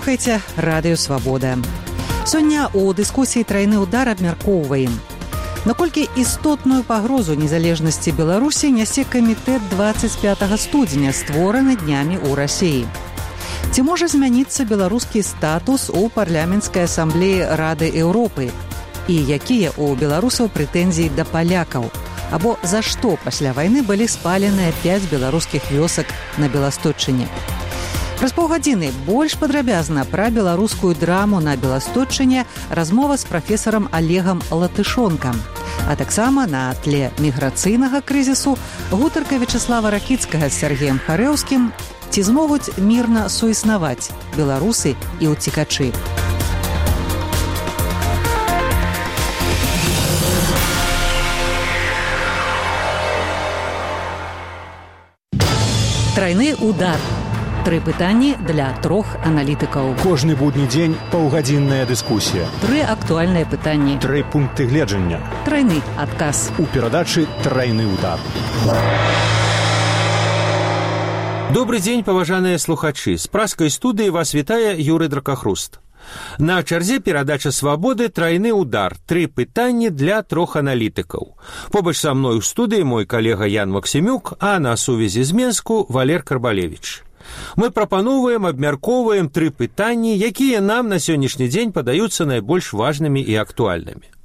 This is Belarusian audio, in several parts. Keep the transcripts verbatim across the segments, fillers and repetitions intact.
слухайце радыё Свабода. Сёння ў дыскусіі «Трайны ўдар» абмяркоўваем, наколькі істотную пагрозу незалежнасці Беларусі нясе камітэт двадцать пятого студзеня, створаны днямі ў Расіі. Ці можа змяніцца беларускі статус у парламенцкай асамблеі Рады Еўропы? І якія ў беларусаў прэтэнзіі да палякаў? Або за што пасля вайны былі спаленыя пяць беларускіх вёсак на Беластотчыне? Праз паўгадзіны больш падрабязна пра беларускую драму на Беластотчыне размова з прафесарам Олегам Латышонкам. А таксама на тле міграцыйнага крызісу гутарка Вячаслава Ракіцкага з Сергеем Харэўскім «Ці змогуць мірна суіснаваць беларусы і ўцекачы». Трайны удар. Тры пытанні для трох аналітыкаў. Кожны будні дзень паўгадзінная дыскусія. Тры актуальныя пытанні. Тры пункты гледжання. Трайны адказ. У перадачы «Трайны удар». Добрый дзень, паважаныя слухачы. З праскай студыі вас вітае Юрый Дракахруст. На чарзе перадача «Свабоды» «Трайны удар». Тры пытанні для трох аналітыкаў. Побач са мной у студыі мой калега Ян Максімюк, а на сувязі з Менску Валер Карбалевіч. Мы прапаноўваем, абмяркоўваем тры пытанні, якія нам на сённяшні дзень падаюцца найбольш важнымі і актуальнымі.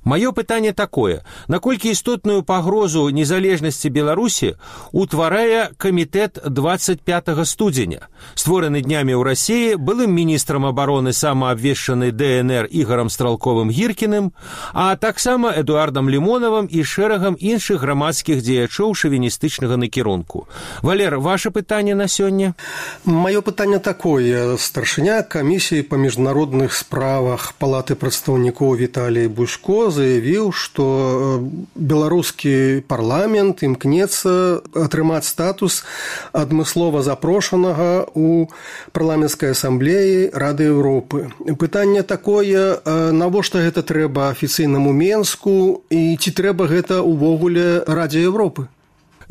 Маё пытанне такое: наколькі істотную пагрозу незалежнасці Беларусі утварае камітэт двадцать пятого студзеня, створаны днямі ў Расіі былым міністрам абароны самаабвешчанай дэ эн эр Ігарам Стралковым-Гіркіным, а таксама Эдуардам Лімонавым і шэрагам іншых грамадскіх дзеячоў шавіністычнага накірунку. Валер, ваше пытанне на сёння? Маё пытанне такое. Старшыня камісіі па міжнародных справах Палаты прадстаўнікоў Віталій Бушко заявіў, што беларускі парламент імкнецца атрымаць статус адмыслова запрошанага ў парламенцкай асамблеі Рады Еўропы. Пытанне такое: навошта гэта трэба афіцыйнаму Менску і ці трэба гэта ўвогуле Радзе Еўропы?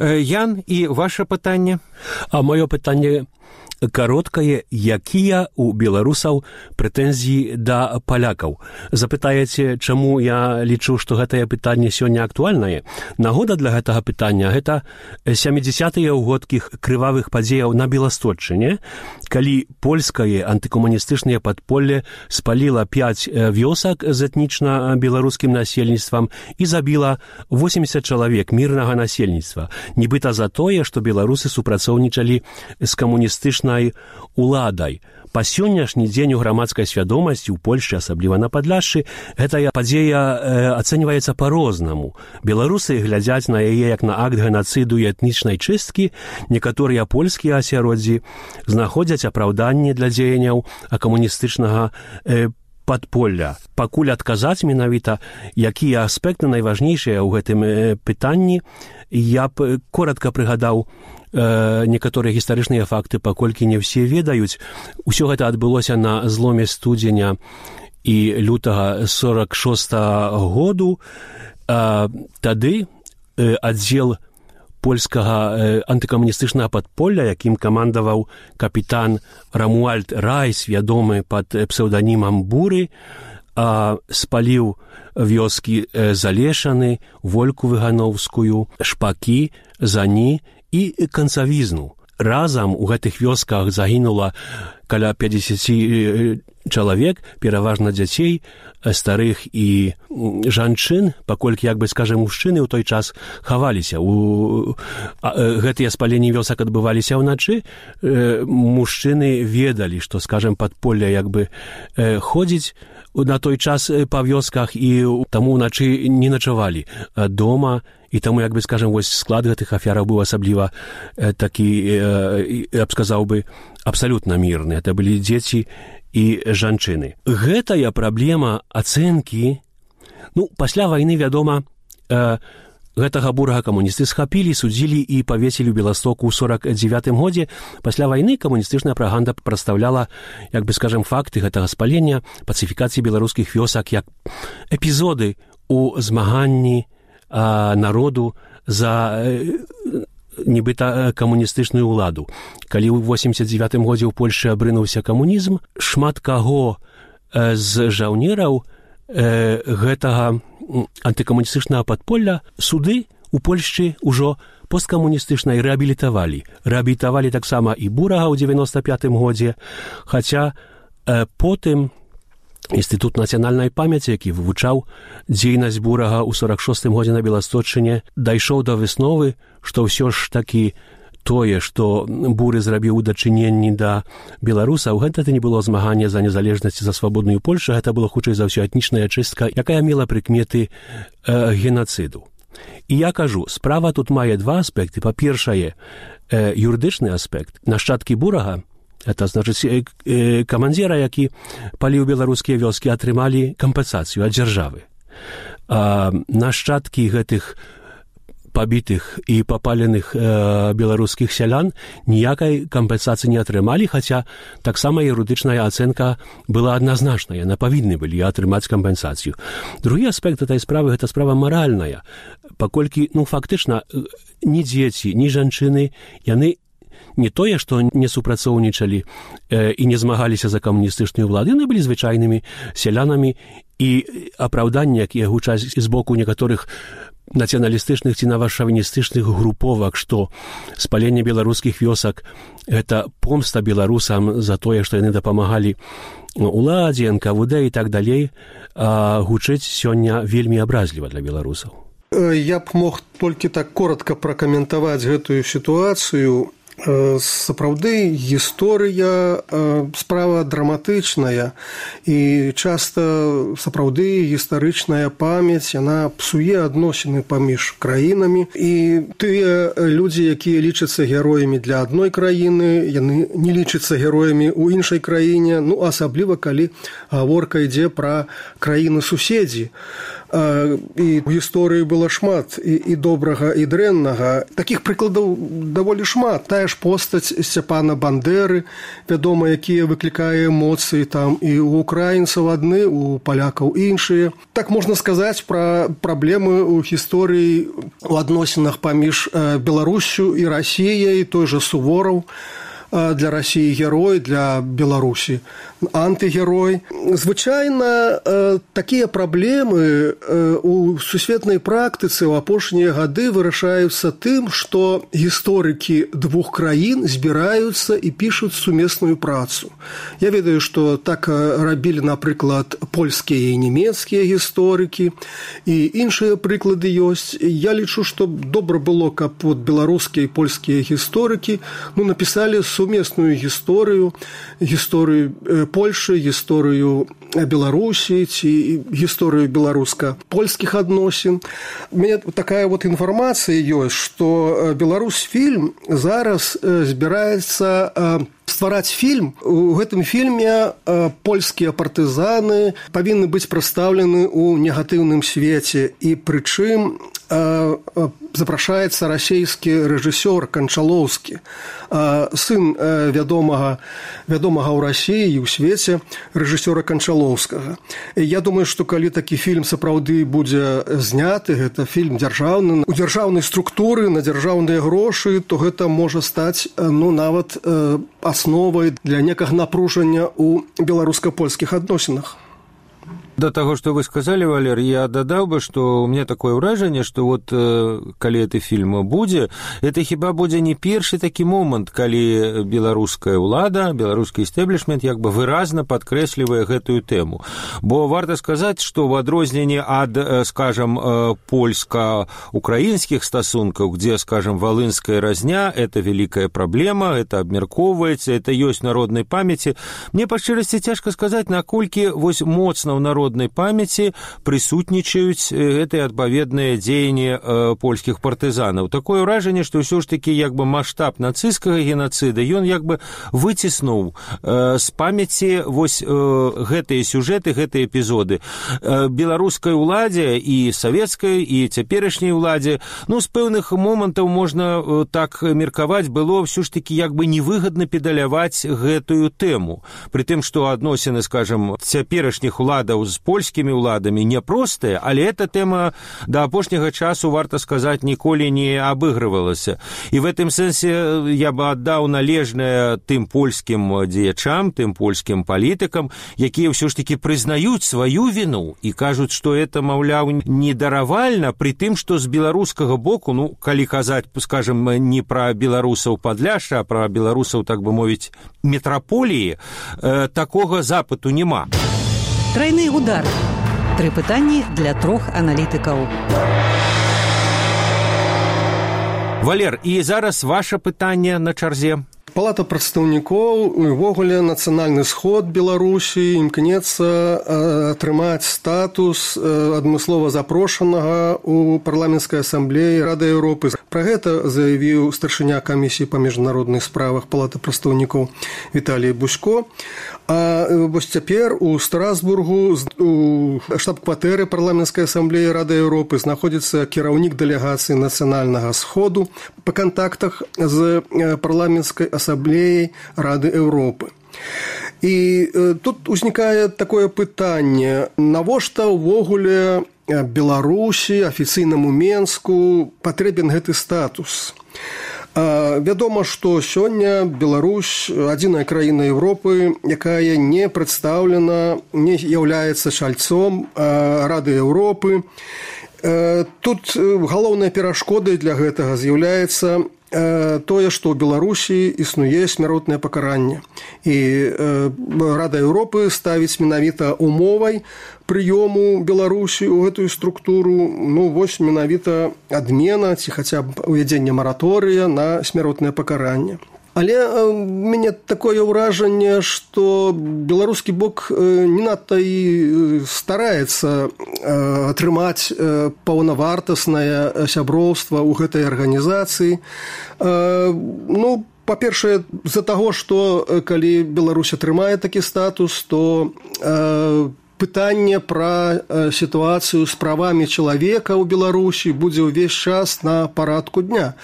Ян, і ваше пытанне? А маё пытанне кароткае: якія ў беларусаў прэтэнзіі да палякаў? Запытаеце, чаму я лічу, што гэтае пытанне сёння актуальнае? Нагода для гэтага пытання — гэта сямідзясятыя ўгодкіх крывавых падзеяў на Беластотчыне, калі польскае антыкамуністычнае падполле спаліла пяць вёсак з этнічна беларускім насельніцтвам і забіла восемьдесят чалавек мірнага насельніцтва, нібыта за тое, што беларусы супрацоўнічалі з камуністычнай уладай. Па сённяшні дзень у грамадскай свядомасці ў Польшчы, асабліва на Падляшшы, гэтая падзея э, ацэньваецца па-рознаму. Беларусы глядзяць на яе як на акт генацыду і этнічнай чысткі. Некаторыя польскія асяроддзі знаходзяць апраўданне для дзеянняў камуністычнага э, падполля. Пакуль адказаць менавіта, якія аспекты найважнейшыя ў гэтым э, пытанні, я б коротка прыгадаў некаторыя гістарычныя факты, паколькі не ўсе ведаюць. Усё гэта адбылося на зломе студзеня і лютага сорок шостага году. Тады аддзел польскага антыкамуністычнага падполля, якім камандаваў капітан Рамуальд Райс, вядомы пад псеўданімам Буры, спаліў вёскі Залешаны, Вольку Выгановскую, Шпакі, Зані і канцавізну. Разам у гэтых вёсках загінула каля пятьдесят чалавек, пераважна дзяцей, старых і жанчын, паколькі, як бы скажем, мужчыны ў той час хаваліся. У... Гэтыя спаленні вёсак адбываліся ўначы. Мужчыны ведалі, што, скажем, падполле як бы ходзіць на той час па вёсках, і таму ўначы не начавалі дома. І таму, як бы, скажем, вось склад гэтых афераў быў асабліва э, такі, э, я б сказаў бы, абсалютна мірны. Это былі дзеці і жанчыны. Гэтая праблема ацэнкі, ну, пасля вайны, вядома, э, гэтага бурага камуністы схапілі, судзілі і павесілі ў Беластоку ў сорок дзевятым годзе. Пасля вайны камуністычная прапаганда прадстаўляла, як бы, скажем, факты гэтага спалення, пацыфікацыі беларускіх вёсак як эпізоды ў змаганні народу за нібыта камуністычную ўладу. Калі ў восемьдесят девятым годзе ў Польшы абрынуўся камунізм, шмат каго з жаўнераў гэтага антыкамуністычнага падполля суды у Польшчы ўжо посткамуністычнай рэабілітавалі. Рэабілітавалі таксама і Бурага ў девяносто пятым годзе, хаця потым Інстытут нацыянальнай памяці, які вывучаў дзейнасць Бурага ў сорок шостым годзе на Беласточчыне, дайшоў да высновы, што ўсё ж такі тое, што Буры зрабіў у дачыненні да беларусаў, гэта не было змаганне за незалежнасць, за свабодную Польшу, гэта было хутчэй за ўсё этнічная чыстка, якая мела прыкметы э, генацыду. І я кажу, справа тут мае два аспекты. Па-першае, э, юрыдычны аспект. Нашчадкі Бурага, это значыць камандзіра, які паліў беларускія вёскі, атрымалі кампенсацыю ад дзяржавы. А нашчадкі гэтых пабітых і папаленых э, беларускіх сялян ніякай кампенсацыі не атрымалі, хаця таксама юрыдычная ацэнка была адназначная, яны павінны былі атрымаць кампенсацыю. Другі аспект этой справы — гэта справа маральная, паколькі, ну, фактычна, ні дзеці, ні жанчыны, яны не тое, што не супрацоўнічалі э, і не змагаліся за камуністычную ўладу, яны былі звычайнымі сялянамі, і апраўданні, якія гучаць з боку некаторых нацыяналістычных ці навашавіністычных груповак, што спаленне беларускіх вёсак — гэта помста беларусам за тое, што яны дапамагалі уладзе, эн ка вэ дэ і так далей, а гучыць сёння вельмі абразліва для беларусаў. Я б мог толькі так коротка пракаментаваць гэтую сітуацыю. Сапраўды гісторыя справа драматычная, і часта сапраўды гістарычная памяць яна псуе адносіны паміж краінамі, і тыя людзі, якія лічацца героямі для адной краіны, яны не лічацца героямі ў іншай краіне, ну асабліва калі гаворка ідзе пра краіны суседзі. І ў гісторыі было шмат і, і добрага, і дрэннага. Такіх прыкладаў даволі шмат. Тая ж постаць Сцяпана Бандеры, вядома, якія выклікае эмоцыі там і ў украінцаў адны, у палякаў іншыя. Так можна сказаць пра праблемы ў гісторыі у адносінах паміж Беларуссю і Расіяй, той жа Сувораў. Для России герой, для Беларуси антигерой. Звычайна такія праблемы у сусветнай практыцы ў апошнія гады вырашаюцца тым, што гісторыкі двух краін збіраюцца і пішуць сумесную працу. Я ведаю, што так рабілі, напрыклад, польскія і нямецкія гісторыкі, і іншыя прыклады ёсць. Я лічу, што добра было, каб вот беларускія і польскія гісторыкі ну, напісалі сумесную гісторыю, гісторыю Польшы, гісторыю Беларусі ці гісторыю беларуска-польскіх адносін. У мяне такая вот інфармацыя ёсць, што Беларусьфільм зараз збіраецца ствараць фільм. У гэтым фільме польскія партызаны павінны быць прадстаўлены ў негатыўным свеце, і прычым запрашаецца расійскі рэжысёр Канчалоўскі, сын вядомага, вядомага ў Расіі і ў свеце рэжысёра Канчалоўскага. Я думаю, што калі такі фільм сапраўды будзе зняты, гэта фільм дзяржаўны, у дзяржаўнай структуры, на дзяржаўныя грошы, то гэта можа стаць ну, нават асновай для некага напружання ў беларуска-польскіх адносінах. До того, что вы сказали, Валер, я додал бы, что у меня такое ўражанне, что вот э, калі гэты фільм будзе, это хіба будзе не першы такі момант, калі беларуская ўлада, беларускі істэблішмент як бы выразна падкрэслівае гэтую тэму. Бо варта сказаць, што в адрозненне ад, скажем, польска-украінскіх стасункаў, где, скажем, валынская разня – это великая праблема, это абмяркоўваецца, это ёсць народнай памяці. Мне па шчырасці цяжка сказаць, наколькі вось моцна ў народ народнай памяці прысутнічаюць гэтыя адпаведныя дзеянні польскіх партызанаў. Такое ўражанне, што ўсё ж такі як бы маштаб нацысцкага генацыда ён як бы выціснуў з памяці вось гэтыя сюжэты, гэтыя эпізоды. Беларускай уладзе і савецкай, і цяперашняй уладзе, ну, з пэўных момантаў можна так меркаваць, было ўсё ж такі як бы невыгадна педаляваць гэтую тэму. Пры тым, што адносіны, скажам, цяперашніх уладаў з з польскімі ўладамі няпростая, але эта тэма да апошняга часу, варта сказаць, ніколі не абыгрывалася. І в гэтым сэнсе я бы аддаў належнае тым польскім дзеячам, тым польскім палітыкам, якія ўсё ж такі прызнаюць сваю віну і кажуць, што это, маўляў, недаравальна, пры тым, што з беларускага боку, ну, калі казаць, скажем, не пра беларусаў Падляшша, а пра беларусаў, так бы мовіць, метраполіі, э, такога запыту няма. Трайны удар. Тры пытанні для трох аналітыкаў. Валер, і зараз ваше пытанне на чарзе. Палата прадстаўнікоў, увогуле нацыянальны сход Беларусі імкнецца атрымаць статус адмыслова запрошанага ў парламенцкай асамблеі Рады Еўропы. Пра гэта заявіў старшыня камісіі па міжнародных справах Палаты прадстаўнікоў Віталій Бузько. А вось цяпер у Страсбургу у штаб-кватэры парламенцкай асамблеі Рады Еўропы знаходзіцца кіраўнік дэлегацыі нацыянальнага сходу па кантактах з парламенцкай асамблеяй Рады Еўропы. І тут узнікае такое пытанне, навошта ўвогуле Беларусі, афіцыйнаму Менску патрэбен гэты статус? Вядома, што сёння Беларусь адзіная краіна Еўропы, якая не прадстаўлена, не з'яўляецца чальцом Рады Еўропы. Тут галоўнай перашкодай для гэтага з'яўляецца тое, што ў Беларусі існуе смяротнае пакаранне. І Рада Еўропы ставіць менавіта умовай прыёму Беларусі ў гэтую структуру, ну, вось менавіта адмена ці хаця б увядзення мараторыя на смяротнае пакаранне. Але у мяне такое ўражанне, што беларускі бок не надта і стараецца атрымаць паўнавартаснае сяброўства ў гэтай арганізацыі. Ну, па-першае, з-за таго, што калі Беларусь атрымае такі статус, то пытанне пра сітуацыю з правамі чалавека ў Беларусі будзе ўвесь час на парадку дня.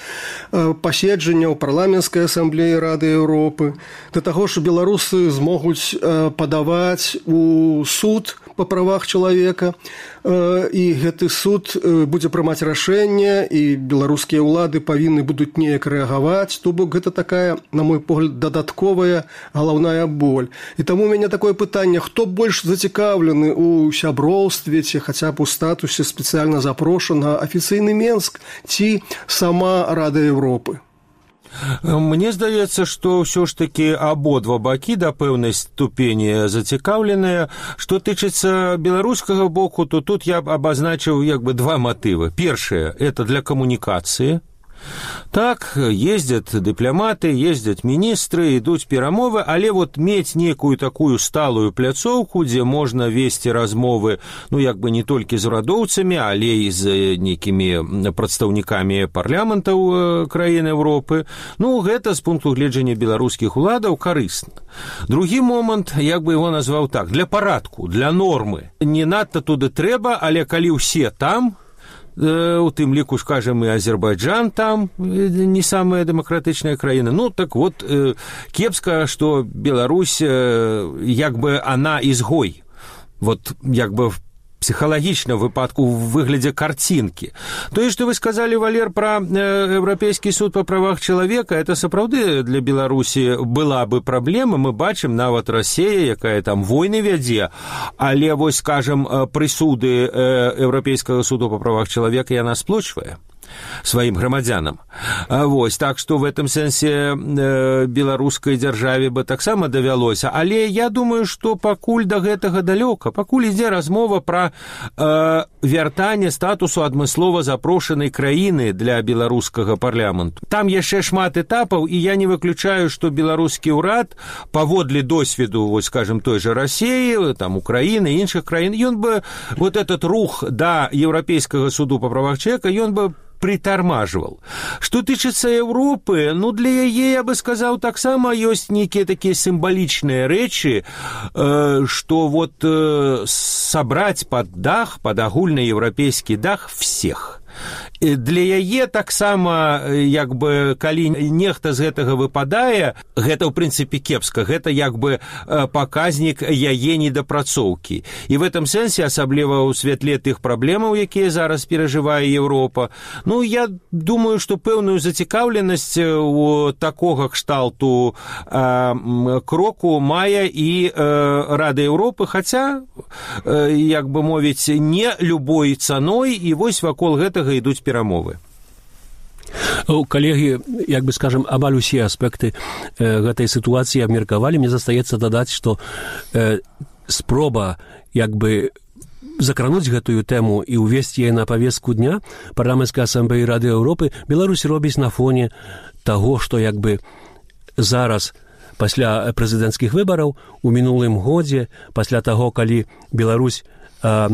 Паседжання ў парламенцкай асамблеі Рады Еўропы, да таго, што беларусы змогуць падаваць у суд па правах чалавека, і гэты суд будзе прымаць рашэнне, і беларускія ўлады павінны будуць неяк рэагаваць, то бок гэта такая, на мой погляд, дадатковая галаўная боль. І таму у мяне такое пытанне, хто больш зацікаўлены ў сяброўстве ці хаця б у статусе спецыяльна запрошанага афіцыйны Менск ці сама Рада Еўропы? Мне здаецца, што ўсё ж такі абодва бакі да пэўнай ступені зацікаўленыя. Што тычыцца беларускага боку, то тут я б абазначыў як бы два матывы. Першае – это для камунікацыі. Так, ездят дыпламаты, ездят міністры, ідуць перамовы, але вот мець некую такую сталую пляцоўку, дзе можна весці размовы, ну, як бы не толькі з урадоўцамі, але і з нейкімі прадстаўнікамі парламентаў краін Еўропы, ну, гэта з пункту гледжання беларускіх уладаў карысна. Другі момант, як бы его назваў так, для парадку, для нормы. Не надта туды трэба, але калі ўсе там, у тым ліку, скажем, і Азербайджан там не самая дэмакратычная краіна. Ну, так вот, кепска, што Беларусь, як бы, она изгой. Вот, як бы, психалагічна выпадку в выглядзе карцінкі. Тое, што вы сказалі, Валер, пра Еўрапейскі суд па правах чалавека, это сапраўды для Беларусі была бы праблема. Мы бачым нават Расія, якая там войны вядзе, але вось, скажем, прысуды Еўрапейскага суду па правах чалавека яна сплочвае сваім грамадзянам. Вось, так што в гэтым сэнсе э, беларускай дзяржаве бы таксама давялося. Але я думаю, што пакуль да гэтага далёка, пакуль ідзе размова пра э, вяртанне статусу адмыслова запрошанай краіны для беларускага парламенту. Там яшчэ шмат этапаў, і я не выключаю, што беларускі ўрад паводле досведу, вось, скажем, той жа Расіі, там, Украіны, іншых краін, ён бы вот этот рух да Еўрапейскага суду па правах чалавека, ён бы притормаживал. Что тычыцца Европы, ну, для яе, я бы сказал, таксама ёсць нейкія такія сімвалічныя рэчы, э, что вот э, собрать под дах, под агульны еўрапейскі дах всех. Для яе таксама як бы калі нехта з гэтага выпадае, гэта ў прынцыпе кепска, гэта як бы паказнік яе недапрацоўкі. І в этом сэнсе, асабліва ў святле тых праблемаў, якія зараз перажывае Еўропа, ну, я думаю, што пэўную зацікаўленасць у такога кшталту э, кроку мае і э, Рада Еўропы, хаця, э, як бы мовіць, не любой цаной, і вось вакол гэтага ідуць перамовы. Калегі, як бы скажем, амаль усе аспекты э, гэтай сітуацыі абмеркавалі. Мне застаецца дадаць, што э, спроба як бы закрануць гэтую тэму і ўвесці яе на павестку дня парламенцкай асамблеі Рады Еўропы Беларусь робіць на фоне таго, што як бы зараз пасля прэзідэнцкіх выбараў у мінулым годзе, пасля таго, калі Беларусь э,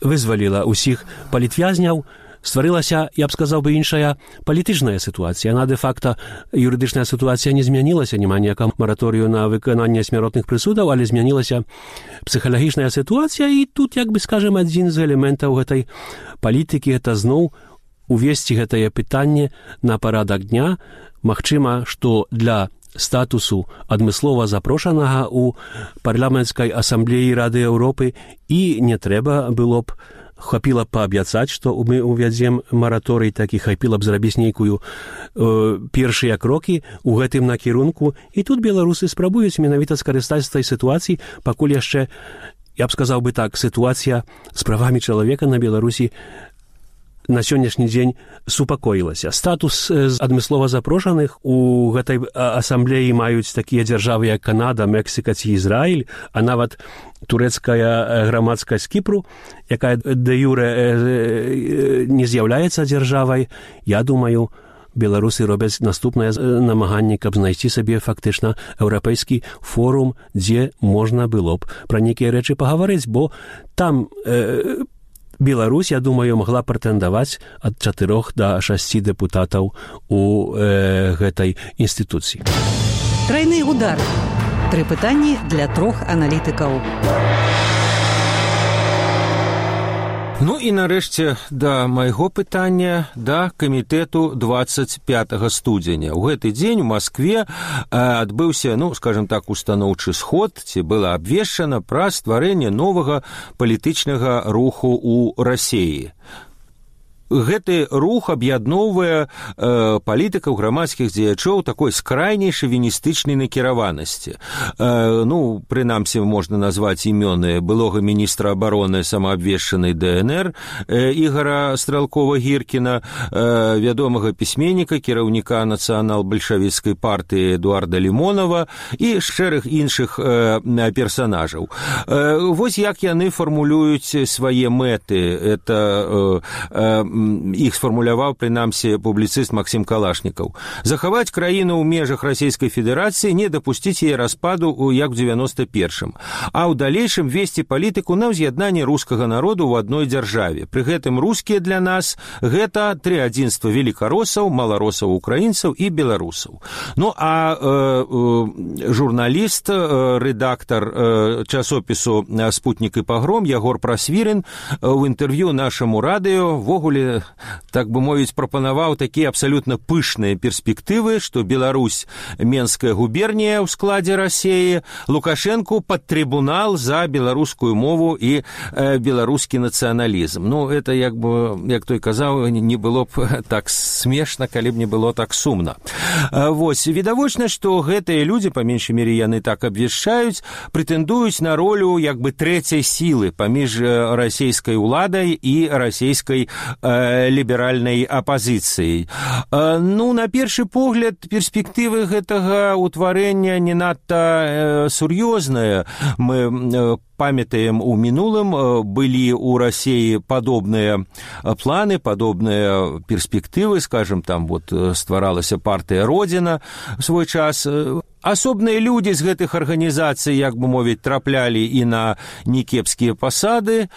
вызваліла ўсіх палітвязняў, стварылася, я б сказаў бы, іншая палітычная сітуацыя. Яна, дэ-факта, юрыдычная сітуацыя не змянілася, няма ніякага мараторыю на выкананне смяротных прысудаў, але змянілася псіхалагічная сітуацыя, і тут, як бы скажем, адзін з элементаў гэтай палітыкі, гэта зноў увесці гэтае пытанне на парадак дня. Магчыма, што для статусу адмыслова запрошанага ў парламенцкай асамблеі Рады Еўропы і не трэба было б хапіла б паабяцаць, што мы увядзем мараторый, так і хапіла б зрабіць нейкую э, першыя крокі ў гэтым накірунку. І тут беларусы спрабуюць менавіта скарыстаць з той сітуацыі, пакуль яшчэ, я б сказаў бы так, сітуацыя з правамі чалавека на Беларусі на сённяшні дзень супакоілася. Статус адмыслова запрошаных у гэтай асамблеі маюць такія дзяржавы, як Канада, Мексіка ці Ізраіль, а нават турэцкая грамадскасць Кіпру, якая дэ-юрэ не з'яўляецца дзяржавай. Я думаю, беларусы робяць наступнае намаганне, каб знайсці сабе фактычна еўрапейскі форум, дзе можна было б пра нейкія рэчы пагаварыць, бо там э, Беларусь, я думаю, могла прэтэндаваць ад чатырох да шасці дэпутатаў у э, гэтай інстытуцыі. Трайны удар. Тры пытанні для трох аналітыкаў. Ну і нарэшце да майго пытання да камітэту двадцать пятого студзеня. У гэты дзень у Маскве адбыўся, ну, скажем так, устаноўчы сход, ці было абвешчана пра стварэнне новага палітычнага руху ў Расіі. Гэты рух аб'ядноўвае э, палітыкаў, грамадскіх дзеячоў такой скрайняй шавіністычнай накіраванасці. Э, ну, прынамсі, можна назваць імёны былога міністра абароны самаабвешчанай дэ эн эр э, Ігара Стралкова-Гіркіна, э, вядомага пісьменніка, кіраўніка нацыянал-бальшавіцкай партыі Эдуарда Лімонова і шэраг іншых э, персанажаў. Э, вось як яны фармулююць свае мэты. Это э, э, іх сфармуляваў, прынамсі, публіцыст Максім Калашнікаў. Захаваць краіну ў межах Расійскай Федэрацыі, не дапусціць яе распаду, як у девяносто первым, а ў далейшым весці палітыку на ўз'яднанне рускага народу ў адной дзяржаве. Пры гэтым рускія для нас гэта тры адзінства велікаросаў, маларосаў, украінцаў і беларусаў. Ну, а э, э, журналіст, э, рэдактар э, часопісу «Спутнік і пагром» Ягор Прасвірын ў інтэрв'ю нашаму радыё ввогуле, так бы мовіць, прапанаваў такія абсалютна пышныя перспектывы, што Беларусь – Менская губернія ў складзе Расіі, Лукашэнку пад трыбунал за беларускую мову і э, беларускі нацыяналізм. Ну, это, як бы, як той казаў, не было б так смешна, калі б не было так сумна. Э, вось, відавочна, што гэтыя людзі, па меншай мере яны так абвяшчаюць, прэтэндуюць на ролю, як бы, трэцяй сілы паміж расійскай уладай і расійскай ліберальнай апазіцыяй. Ну, на першы погляд, перспектывы гэтага ўтварэння не надта сур'ёзныя. Мы памятаем, у мінулым былі ў Расіі падобныя планы, падобныя перспектывы, скажем, там вот стваралася партыя Родзіна в свой час. асобныя людзі з гэтых арганізацый, як бы мовіць, траплялі і на некепскія пасады,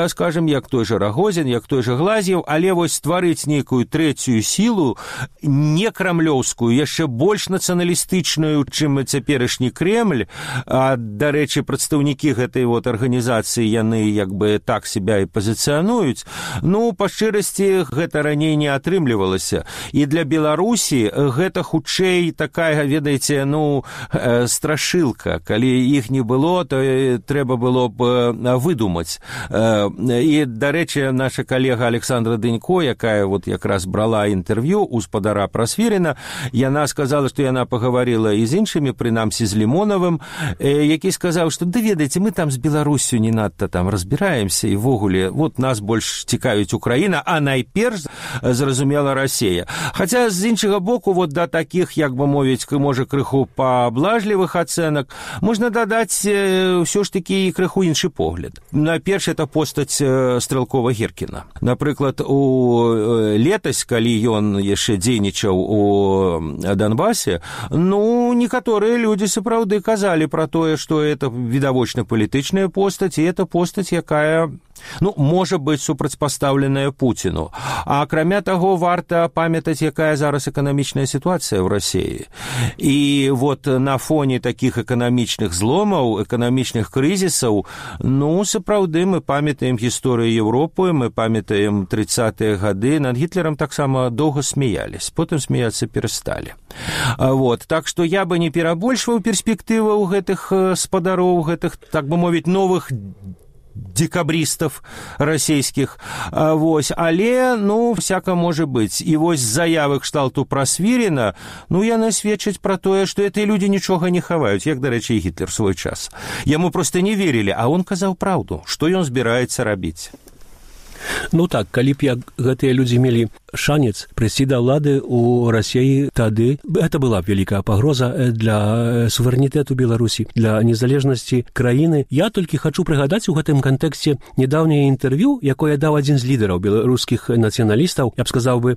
скажем, як той же Рагозін, як той же Глазьев, але вось стварыць нейкую трэцюю сілу, не крамлёўскую, яшчэ больш нацыяналістычную, чым цяперашні Кремль. А, дарэчы, прадстаўнікі гэтай вот арганізацыі, яны як бы так себя і пазіцыянуюць. Ну, па шчырасці, гэта раней не атрымлівалася. І для Беларусі гэта хутчэй такая, ведаеце, ну, страшылка. Калі іх не было, то трэба было б выдумаць. І, дарэчы, наша калега Александра Дынько, якая вот якраз брала інтэрв'ю у спадара Прасвіріна, яна сказала, што яна пагаварыла і з іншымі, прынамсі з Лімонавым, які сказаў, што, да ведаеце, мы там з Беларусю не надта там разбіраемся, і ввогуле, вот нас больш цікавіць Украіна, а найперш, зразумела, Расія. Хаця, з іншага боку, вот да такіх, як бы мовіць, можа, крыху паблажлівых ацэнак, можна дадаць ўсё ж такі і крыху іншы погляд. Найперш, это постаць Стрэлкова-Геркіна. Напрыклад, у летась, калі ён яшчэ дзейнічаў у Донбасе, ну, некаторыя людзі сапраўды казалі пра тое, што это відавочна палітычная постаць, і это постаць, якая, ну, можа быць супрацьпастаўленая Пуціну. А акрамя таго, варта памятаць, якая зараз эканамічная сітуацыя ў Расіі. І вот на фоне такіх эканамічных зломаў, эканамічных крызісаў, ну, сапраўды мы памятаем гісторыю Еўропы, мы памятаем трыццатыя гады, над Гітлерам таксама доўга смяялись, потым смяяцца перасталі. Вот. Так што я бы не перабольшваў перспектываў гэтых спадароў, гэтых, так бы мовіць, новых декабристов расійскіх, вось, але, ну, всяка можа быць. І вось заявы кшталту Прасвіріна, ну, яны сведчаць пра тое, што гэтыя людзі нічога не хаваюць, як, дарэчы, і Гітлер свой час. Яму проста не верілі, а он казаў праўду, што ён збіраецца рабіць. Ну так, калі б як гэтыя людзі мелі шанец прыйсці да ўлады ў Расіі, тады гэта была б вялікая пагроза для суверэнітэту Беларусі, для незалежнасці краіны. Я толькі хачу прыгадаць у гэтым кантэксце нядаўняе інтэрв'ю, якое даў адзін з лідараў беларускіх нацыяналістаў, я б сказаў бы,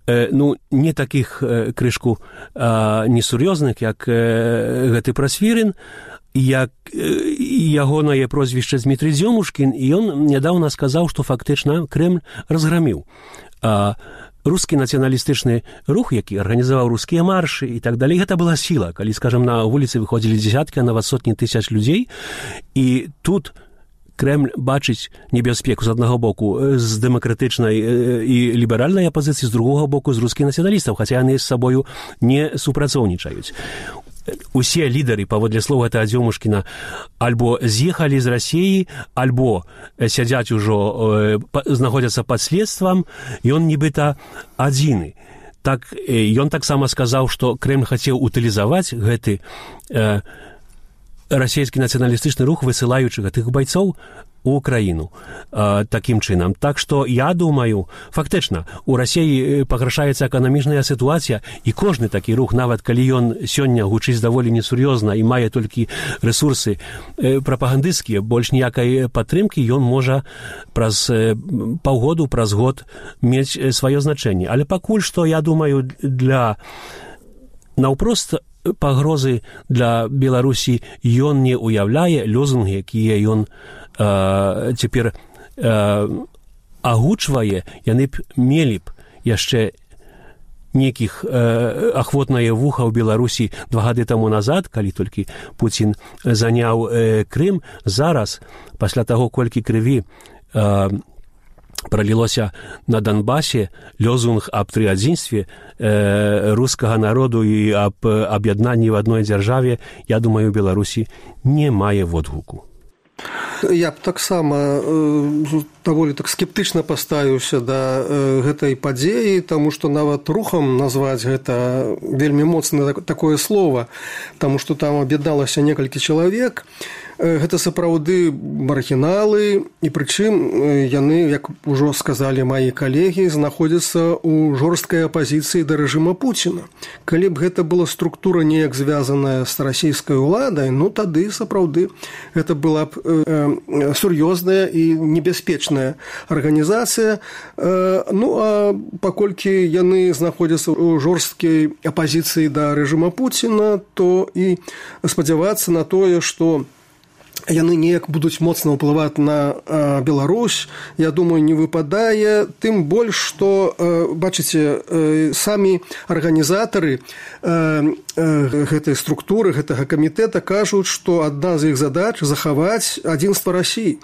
ну, не такіх крышку несур'ёзных, як гэты Прасвірін, як ягонае прозвішча Дмітрый Дзёмушкін, і ён нядаўна сказаў, што фактычна Крэмль разграміў. А рускі нацыяналістычны рух, які арганізаваў рускія маршы і так далей, гэта была сіла, калі, скажам, на вуліцы выходзілі дзесяткі, а нават сотні тысяч людзей, і тут Крэмль бачыць небяспеку з аднаго боку з дэмакратычнай і ліберальнай апазіцыі, з другога боку з рускіх нацыяналістаў, хаця яны з сабою не супрацоўнічаюць. Усе лідары, паводле слова гэта Дзёмушкіна, альбо з'ехалі з Расіі, альбо сядзяць ужо, знаходзяцца пад следствам, ён нібыта адзіны. Так, ён таксама сказаў, што Крэмль хацеў утылізаваць гэты э, расійскі нацыяналістычны рух, высылаючы гэтых байцоў у Украіну э, такім чынам. Так што я думаю, фактычна, у Расіі пагаршаецца эканамічная сітуацыя, і кожны такі рух, нават калі ён сёння гучыць даволі несур'ёзна і мае толькі рэсурсы э, прапагандысцкія, больш ніякай падтрымкі, ён можа праз э, паўгоду, праз год мець сваё значэнне. Але пакуль што, я думаю, для наўпрост пагрозы для Беларусі ён не уяўляе. Лозунгі, якія ён э, цяпер э, агучвае, яны б мелі б яшчэ нейкіх э, ахвотнае вуха ў Беларусі два гады таму назад, калі толькі Пуцін заняў э, Крым. Зараз, пасля таго, колькі крыві э, пролілося на Донбасе, лозунг аб трыадзінстве э, рускага народу і аб аб'яднанні в адной дзяржаве, я думаю, у Беларусі не мае водгуку. Я б таксама э, даволі так скептычна паставіўся да э, гэтай падзеі, таму што нават рухам назваць гэта вельмі моцнае такое слово, таму што там аб'ядналася некалькі чалавек. гэта сапраўды маргіналы, і прычым яны, як ужо сказалі маі калегі, знаходзяцца ў жорсткай апазіцыі да рэжыма Пуціна. Калі б гэта была структура неяк звязаная з расійскай уладай, ну тады сапраўды гэта была б э, сур'ёзная і небяспечная арганізацыя. Э, ну а паколькі яны знаходзяцца ў жорсткай апазіцыі да рэжыма Пуціна, то і спадзявацца на тое, што яны неяк будуць моцна ўплываць на э, Беларусь, я думаю, не выпадае, тым больш, што, э, бачыце, э, самі арганізатары э, э, гэтай структуры, гэтага камітэта кажуць, што адна з іх задач захаваць адзінства Расіі.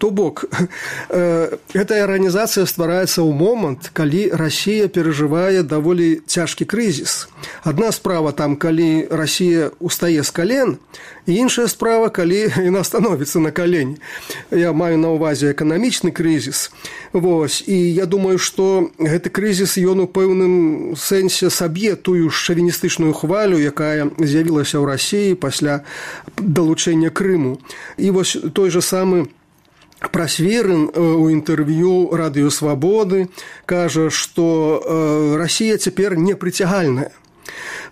То бок, э, гэтая арганізацыя ствараецца ў момант, калі Расія перажывае даволі цяжкі крызіс. Адна справа там, калі Расія устае з кален, і іншая справа, калі яна становіцца на калені. Я маю на ўвазе эканамічны крызіс. Вось. І я думаю, што гэты крызіс, ён у пэўным сэнсе саб'е тую шавіністычную хвалю, якая з'явілася ў Расіі пасля далучэння Крыму. І вось той жа самы Прасверын у інтэрв'ю Радыё Свабоды кажа, што Расія цяпер непрыцягальная.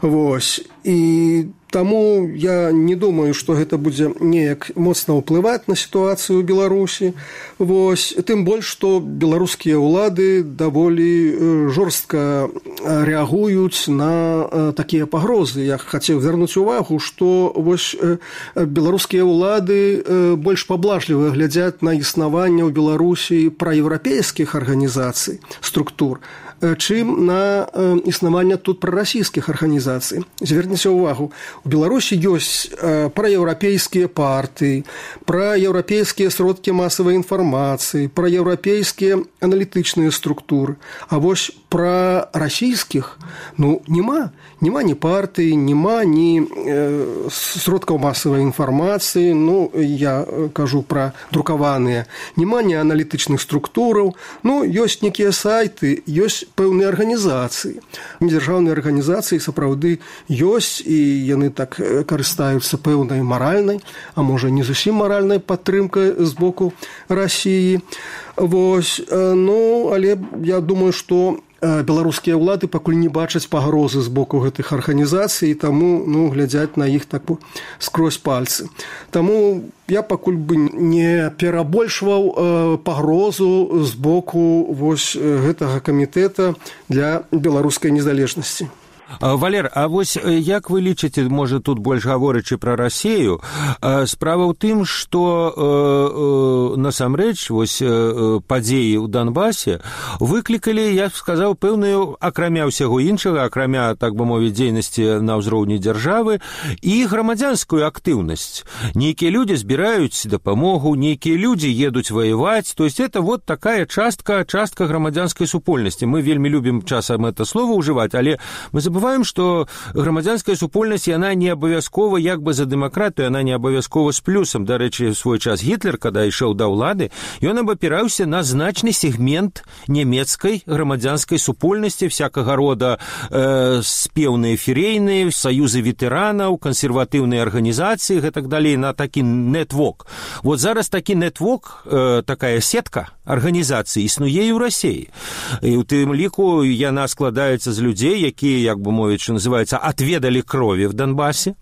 Вось. І таму я не думаю, што гэта будзе неяк моцна ўплываць на сітуацыю ў Беларусі. Вось. Тым больш, што беларускія ўлады даволі жорстка рэагуюць на такія пагрозы. Я хацеў звярнуць увагу, што вось беларускія ўлады больш паблажліва глядзяць на існаванне ў Беларусі праеўрапейскіх арганізацый, структур, чым на існаванне тут прарасійскіх арганізацый. Зверніце ўвагу, у Беларусі ёсць праеўрапейскія партыі, праеўрапейскія сродкі масавай інфармацыі, праеўрапейскія аналітычныя структуры. А вось пра расійскіх, ну, няма. Няма ні партыі, няма ні э, сродкаў масавай інфармацыі, ну, я кажу пра друкаваныя, няма ні аналітычных структураў, ну, ёсць некія сайты, ёсць пэўныя арганізацыі. Недзяржаўныя арганізацыі сапраўды ёсць, і яны так карыстаюцца пэўнай маральнай, а можа не зусім маральнай падтрымкай з боку Расіі. Вось, ну, але я думаю, што беларускія ўлады пакуль не бачаць пагрозы з боку гэтых арганізацый, і таму, ну, глядзяць на іх так скрозь пальцы. Таму я пакуль бы не перабольшваў э, пагрозу з боку вось гэтага камітэта для беларускай незалежнасці. Валер, а вось як вы лічыце, можа, тут больш гаворачы пра Расію, справа ў тым, што э, э, насамрэч вось э, падзеі ў Донбасе выклікалі, я б сказаў, пэўную, акрамя ўсяго іншага, акрамя, так бы мовіць, дзейнасці на ўзроўні дзяржавы, і грамадзянскую актыўнасць. Нейкія людзі збіраюць дапамогу, нейкія людзі едуць ваяваць, то есть это вот такая частка, частка грамадзянскай супольнасці. Мы вельмі любім часам это слово ўжываць, але мы забываем, Забываем, што грамадзянская супольнасць, яна не абавязкова як бы за дэмакратыю, яна не абавязкова з плюсам. Дарэчы, свой час Гітлер, када ішоў да ўлады, ён абапіраўся на значны сегмент нямецкай грамадзянскай супольнасці, всякага рода э, спеўныя ферейныя, саюзы ветэранаў, кансерватыўныя арганізацыі, гэтак далей, на такі нетвок. Вот зараз такі нетвок, э, такая сетка арганізацыі існуе і ў Расіі. І ў тым ліку яна складаецца з людзей, якія, як бы мовіць, что называется, отведали крови в Донбассе.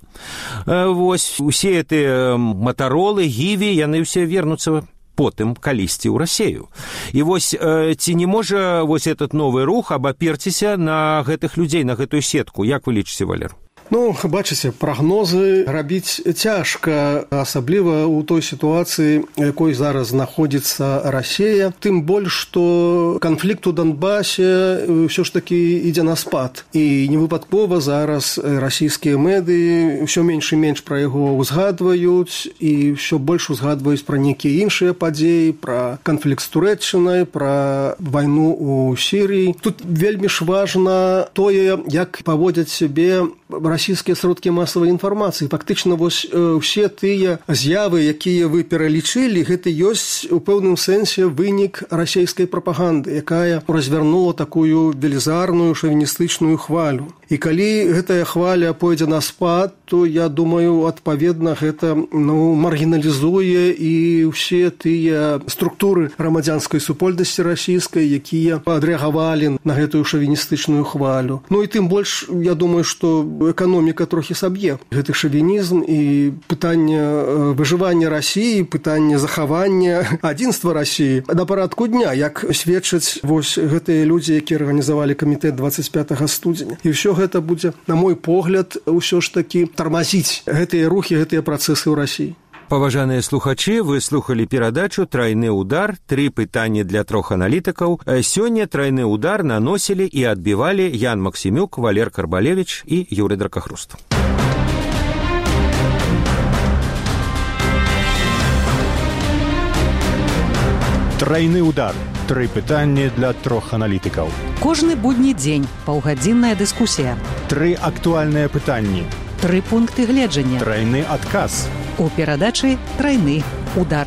Вось, усе эти Моторолы, Гіві, яны все вернуцца потым калісьці ў Расію. І вось ці не можа вось этот новы рух абаперціся на гэтых людзей, на гэтую сетку? Як вы лічыце, Валер? Ну, бачыце, прагнозы рабіць цяжка, асабліва ў той сітуацыі, якой зараз знаходзіцца Расія. Тым больш, што канфлікт у Донбасе ўсё ж такі ідзе на спад. І невыпадкова зараз расійскія медыі ўсё менш і менш пра яго ўзгадваюць, і ўсё больш узгадваюць пра нейкія іншыя падзеі, пра канфлікт з Турэччынай, пра вайну ў Сірыі. Тут вельмі ж важна тое, як паводзяць сябе расійскія сродкі масавай інфармацыі. Фактычна вось усе тыя з'явы, якія вы пералічылі, гэта ёсць у пэўным сэнсе вынік расійскай прапаганды, якая развярнула такую велізарную шавіністычную хвалю. І калі гэтая хваля пойдзе на спад, то, я думаю, адпаведна гэта ну, маргіналізуе і ўсе тыя структуры грамадзянскай супольнасці расійскай, якія адрэагавалі на гэтую шавіністычную хвалю. Ну і тым больш, я думаю, што эканоміка трохі саб'е гэты шавінізм і пытанне выжывання Расіі, пытанне захавання адзінства Расіі на парадку дня, як сведчаць вось гэтыя людзі, якія арганізавалі камітэт двадцать пятого студзеня. І ўсё гэта будзе, на мой погляд, ўсё ж такі тармазіць гэтыя рухі, гэтыя працэсы ў Расіі. Паважаныя слухачы, вы слухалі перадачу «Трайны удар. Тры пытанні для трох аналітыкаў». Сёння «Трайны удар» наносілі і адбівалі Ян Максімюк, Валер Карбалевіч і Юрый Дракахруст. Трайны удар. Тры пытанні для трох аналітыкаў. Кожны будні дзень паўгадзінная дыскусія. Тры актуальныя пытанні. Тры пункты гледжання. Трайны адказ. У перадачы «Трайны удар».